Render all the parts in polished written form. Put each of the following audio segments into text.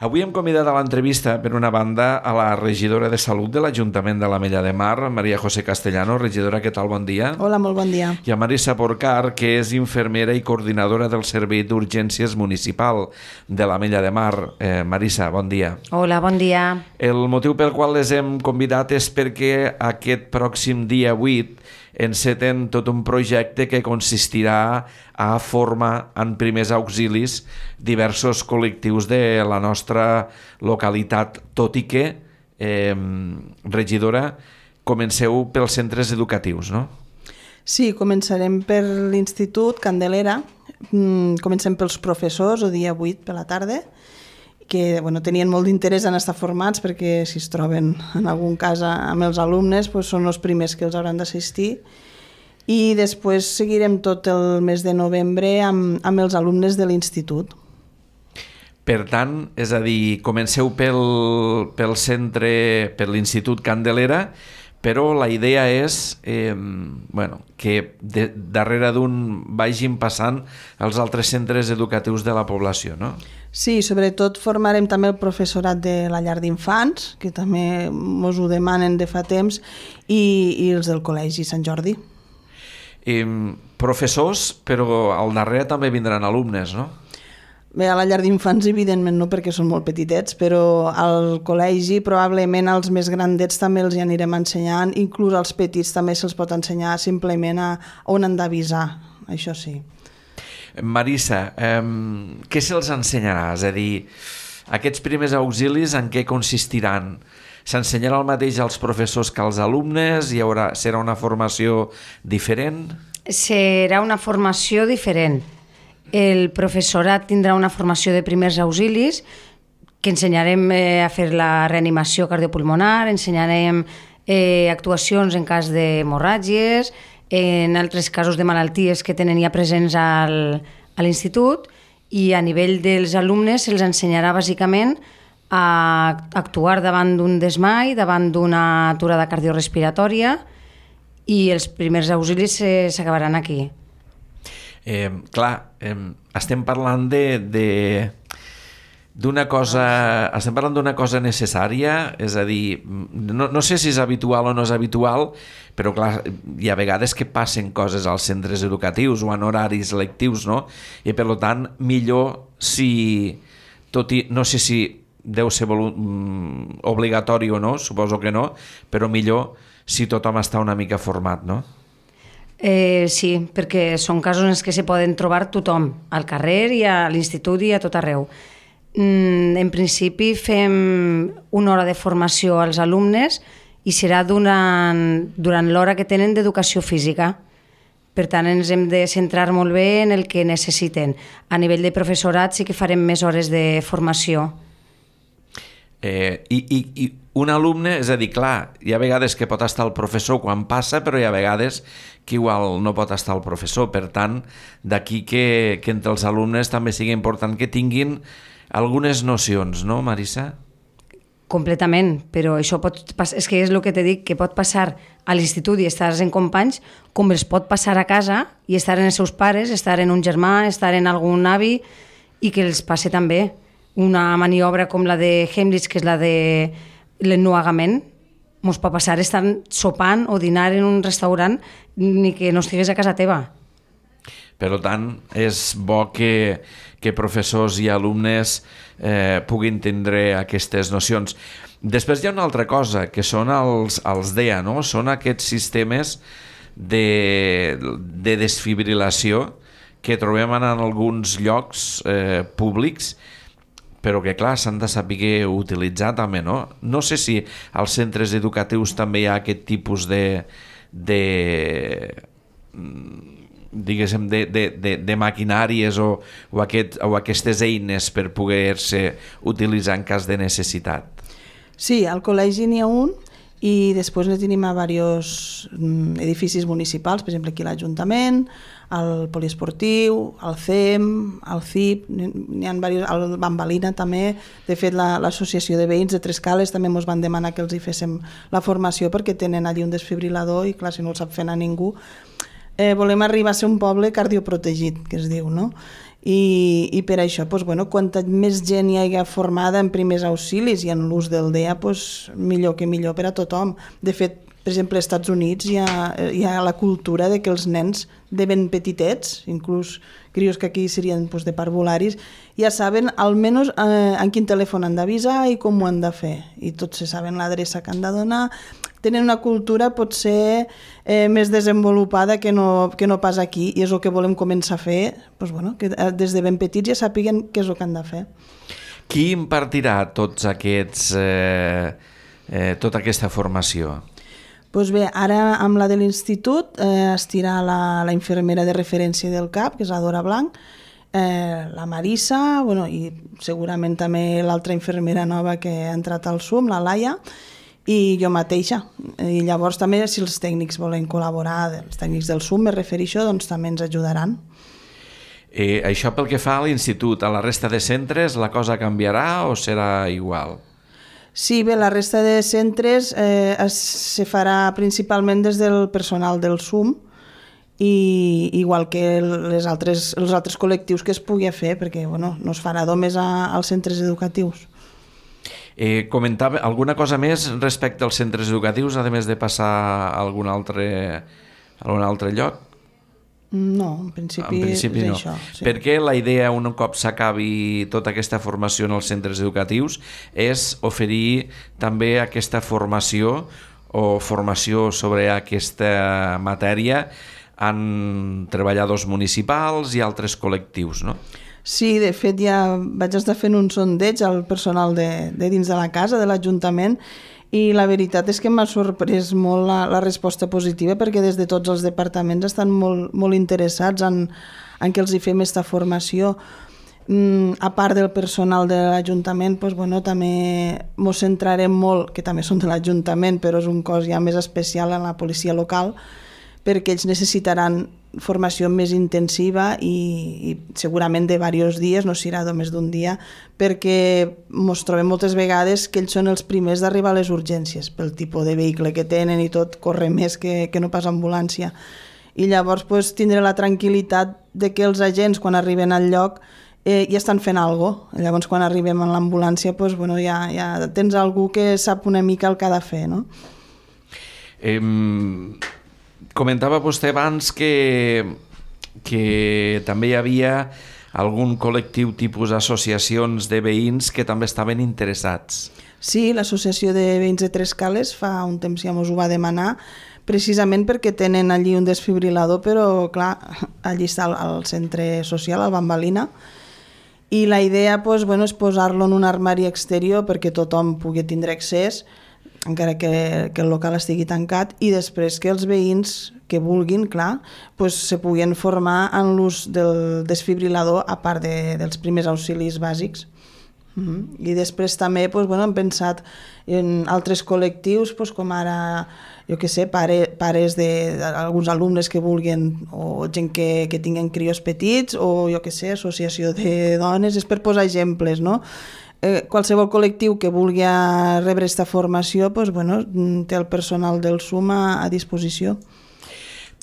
Avui hem convidat a l'entrevista, per una banda, a la regidora de Salut de l'Ajuntament de l'Ametlla de Mar, María José Castellano. Regidora, què tal? Bon dia. Hola, molt bon dia. I a Marisa Porcar, que és infermera i coordinadora del Servei d'Urgències Municipal de l'Ametlla de Mar. Marisa, bon dia. Hola, bon dia. El motiu pel qual les hem convidat és perquè aquest pròxim dia 8 enceten tot un projecte que consistirà a formar en primers auxilis diversos col·lectius de la nostra localitat, tot i que, regidora, comenceu pels centres educatius, no? Sí, començarem per l'Institut Candelera, comencem pels professors, el dia 8 per la tarda, que tenien molt d'interès en estar formats perquè si es troben en algun cas amb els alumnes són els primers que els hauran d'assistir, i després seguirem tot el mes de novembre amb els alumnes de l'institut. Per tant, és a dir, comenceu pel centre, per l'Institut Candelera, però la idea és que darrere d'un vagin passant els altres centres educatius de la població, no? Sí, sobretot formarem també el professorat de la llar d'infants, que també ens ho demanen de fa temps, i els del Col·legi Sant Jordi. Professors, però al darrere també vindran alumnes, no? Bé, a la llar d'infants evidentment no, perquè són molt petitets, però al col·legi probablement als més grandets també els hi anirem ensenyant, inclús als petits també se'ls pot ensenyar simplement a on han d'avisar, això sí. Marisa, què se'ls ensenyarà? És a dir, aquests primers auxilis en què consistiran? S'ensenyarà el mateix als professors que als alumnes? Serà una formació diferent? Serà una formació diferent. El professorat tindrà una formació de primers auxilis, que ensenyarem a fer la reanimació cardiopulmonar, ensenyarem actuacions en cas d'hemorràgies, en altres casos de malalties que tenen ja presents a l'institut, i a nivell dels alumnes se'ls ensenyarà bàsicament a actuar davant d'un desmai, davant d'una aturada cardiorrespiratòria, i els primers auxilis s'acabaran aquí. Estem parlant d'una cosa necessària, és a dir, no sé si és habitual o no és habitual, però clar, hi ha vegades que passen coses als centres educatius o en horaris lectius, no? I per tant, millor si, no sé si deu ser obligatori o no, suposo que no, però millor si tothom està una mica format, no? Sí, perquè són casos en què se poden trobar tothom, al carrer i a l'institut i a tot arreu. En principi fem una hora de formació als alumnes i serà durant l'hora que tenen d'educació física. Per tant, ens hem de centrar molt bé en el que necessiten. A nivell de professorat sí que farem més hores de formació. I un alumne, és a dir, clar, hi ha vegades que pot estar el professor quan passa, però hi ha vegades que igual no pot estar el professor. Per tant, d'aquí que entre els alumnes també sigui important que tinguin algunes nocions, no, Marisa? Completament, però això és que és el que t'he dit, que pot passar a l'institut i estar en companys, com els pot passar a casa i estar en els seus pares, estar en un germà, estar en algun avi, i que els passe també. Una maniobra com la de Heimlich, que és la de l'ennuegament, ens pot passar estar sopant o dinar en un restaurant ni que no estigués a casa teva. Per tant, és bo que professors i alumnes puguin tindre aquestes nocions. Després hi ha una altra cosa, que són els DEA, no? Són aquests sistemes de desfibrilació que trobem en alguns llocs públics, però que, clar, s'han de saber utilitzar també, no? No sé si als centres educatius també hi ha aquest tipus de maquinàries o aquestes eines per poder-se utilitzar en cas de necessitat. Sí, al col·legi n'hi ha un, i després ne tenim a diversos edificis municipals, per exemple aquí a l'Ajuntament, al poliesportiu, al CEM, al CIP, n'hi ha diversos, al Bambalina també. De fet, l'associació de veïns de Trescales també ens van demanar que els hi féssim la formació perquè tenen allí un desfibrilador i clar, si no el sap fer a ningú. Volem arribar a ser un poble cardioprotegit, que es diu, no? i per això, quanta més gent hi hagi formada en primers auxilis i en l'ús del DEA, millor que millor per a tothom. De fet, per exemple, als Estats Units hi ha la cultura de que els nens de ben petitets, inclús crios que aquí serien de parvularis, ja saben almenys en quin telèfon han d'avisar i com ho han de fer. I tots se saben l'adreça que han de donar. Tenen una cultura potser més desenvolupada que no pas aquí, i és el que volem començar a fer, que des de ben petits ja sàpiguen què és el que han de fer. Qui impartirà tota aquesta formació? Doncs bé, ara amb la de l'institut estirà la infermera de referència del CAP, que és la Dora Blanc, la Marissa, i segurament també l'altra infermera nova que ha entrat al SUM, la Laia, i jo mateixa. I llavors també, si els tècnics volen col·laborar, els tècnics del SUM, me refereixo, doncs també ens ajudaran. Això pel que fa a l'institut. A la resta de centres la cosa canviarà o serà igual? Sí, bé, la resta de centres se farà principalment des del personal del SUM, i igual que els altres col·lectius que es pugui fer, perquè no es farà només als centres educatius. Comentava alguna cosa més respecte als centres educatius, a més de passar a algun altre lloc? No, en principi és no. això. Sí. Perquè la idea, un cop s'acabi tota aquesta formació en els centres educatius, és oferir també aquesta formació o formació sobre aquesta matèria en treballadors municipals i altres col·lectius, no? Sí, de fet ja vaig estar fent un sondeig al personal de dins de la casa, de l'Ajuntament, i la veritat és que m'ha sorprès molt la resposta positiva, perquè des de tots els departaments estan molt interessats en que els hi fem aquesta formació. A part del personal de l'Ajuntament, també ens centrarem molt, que també són de l'Ajuntament, però és un cos ja més especial en la policia local, perquè ells necessitaran formació més intensiva i segurament de diversos dies, no serà només d'un dia, perquè ens trobem moltes vegades que ells són els primers d'arribar a les urgències, pel tipus de vehicle que tenen i tot, corre més que no pas ambulància. I llavors tindré la tranquil·litat de que els agents, quan arriben al lloc, ja estan fent alguna cosa. Llavors, quan arribem a l'ambulància, ja tens algú que sap una mica el que ha de fer, no? Comentava vostè abans que també hi havia algun col·lectiu tipus associacions de veïns que també estaven interessats. Sí, l'associació de veïns de Trescales fa un temps ja ens ho va demanar, precisament perquè tenen allí un desfibrilador, però clar, allí està el centre social, al Bambalina, i la idea és posar-lo en un armari exterior perquè tothom pugui tindre accés, encara que el local estigui tancat, i després que els veïns que vulguin, clar, se puguin formar en l'ús del desfibrilador a part dels primers auxilis bàsics. I després també hem pensat en altres col·lectius, com ara, jo què sé, pares d'alguns alumnes que vulguin, o gent que tinguen crios petits, o jo què sé, associació de dones, és per posar exemples, no? Qualsevol col·lectiu que vulgui rebre aquesta formació té el personal del SUM a disposició.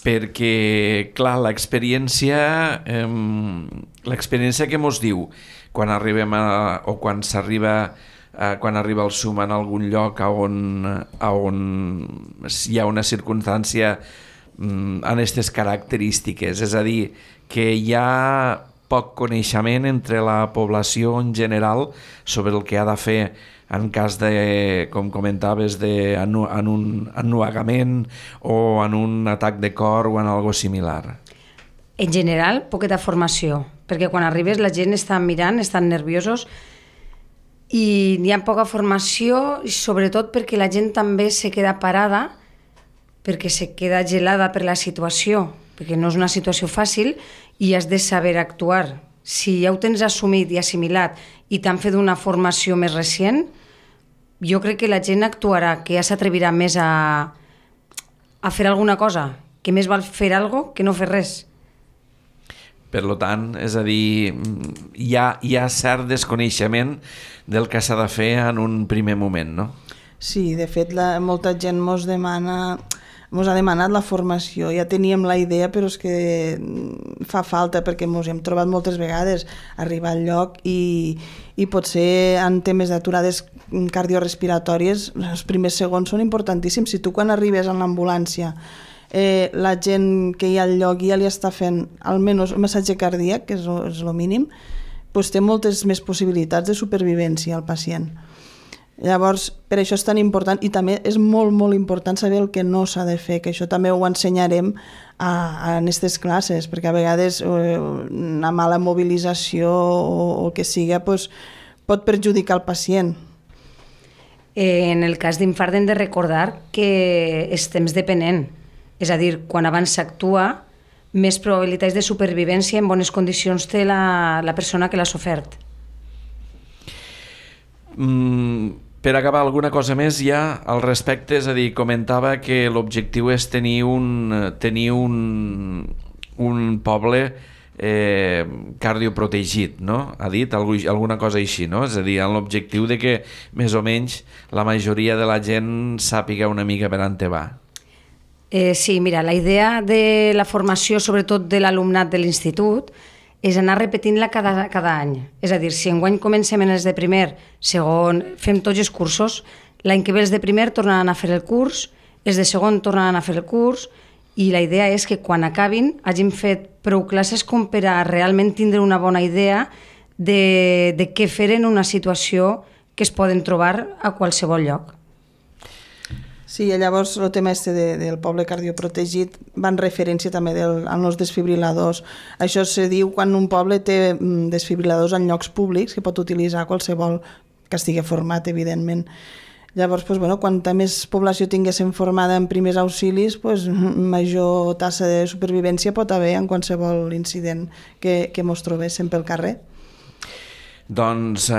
Perquè, clar, l'experiència que mos diu quan arribem quan arriba el SUM en algun lloc on hi ha una circumstància en aquestes característiques, és a dir, que hi ha poc coneixement entre la població en general sobre el que ha de fer en cas de, com comentaves, en un ennuegament o en un atac de cor o en algo similar. En general, poqueta formació, perquè quan arribes la gent està mirant, estan nerviosos i hi ha poca formació, i sobretot perquè la gent també se queda parada, perquè se queda gelada per la situació, perquè no és una situació fàcil i has de saber actuar. Si ja ho tens assumit i assimilat i t'han fet una formació més recent, jo crec que la gent actuarà, que ja s'atrevirà més a fer alguna cosa, que més val fer alguna cosa que no fer res. Per tant, és a dir, hi ha cert desconeixement del que s'ha de fer en un primer moment, no? Sí, de fet, molta gent mos demana ens ha demanat la formació. Ja teníem la idea, però és que fa falta, perquè ens hem trobat moltes vegades arribar al lloc i potser en temes d'aturades cardiorespiratòries els primers segons són importantíssims. Si tu quan arribes en l'ambulància la gent que hi ha al lloc ja li està fent almenys un massatge cardíac, que és el mínim, doncs té moltes més possibilitats de supervivència al pacient. Llavors, per això és tan important, i també és molt, molt important saber el que no s'ha de fer, que això també ho ensenyarem en aquestes classes, perquè a vegades una mala mobilització o el que siga doncs, pot perjudicar el pacient. En el cas d'infart hem de recordar que és temps depenent, és a dir, quan abans s'actua, més probabilitats de supervivència en bones condicions té la persona que l'ha sofert. Per acabar, alguna cosa més ja al respecte? És a dir, comentava que l'objectiu és tenir un poble cardioprotegit, no? Ha dit alguna cosa així, no? És a dir, amb l'objectiu de que més o menys la majoria de la gent sàpiga una mica per on te va. Sí, mira, la idea de la formació, sobretot de l'alumnat de l'institut, és anar repetint-la cada any. És a dir, si enguany comencem en els de primer, segon, fem tots els cursos, l'any que ve els de primer tornaran a fer el curs, els de segon tornaran a fer el curs, i la idea és que quan acabin hagin fet prou classes com per a realment tindre una bona idea de què fer en una situació que es poden trobar a qualsevol lloc. Sí, llavors el tema del poble cardioprotegit va en referència també als desfibriladors. Això se diu quan un poble té desfibriladors en llocs públics que pot utilitzar qualsevol que estigui format, evidentment. Llavors, quanta més població tinguéssim formada en primers auxilis, major tassa de supervivència pot haver en qualsevol incident que ens trobéssim pel carrer. Doncs,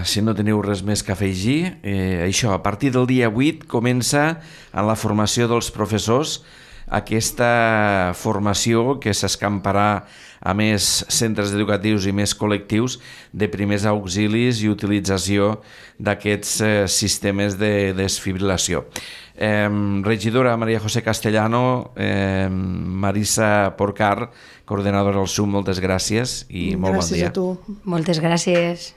si no teniu res més que afegir, això, a partir del dia 8 comença en la formació dels professors aquesta formació que s'escamparà a més centres educatius i més col·lectius de primers auxilis i utilització d'aquests sistemes de desfibrilació. Regidora María José Castellano, Marisa Porcar, coordinadora del SUM, moltes gràcies i molt bon dia. Gràcies a tu. Moltes gràcies.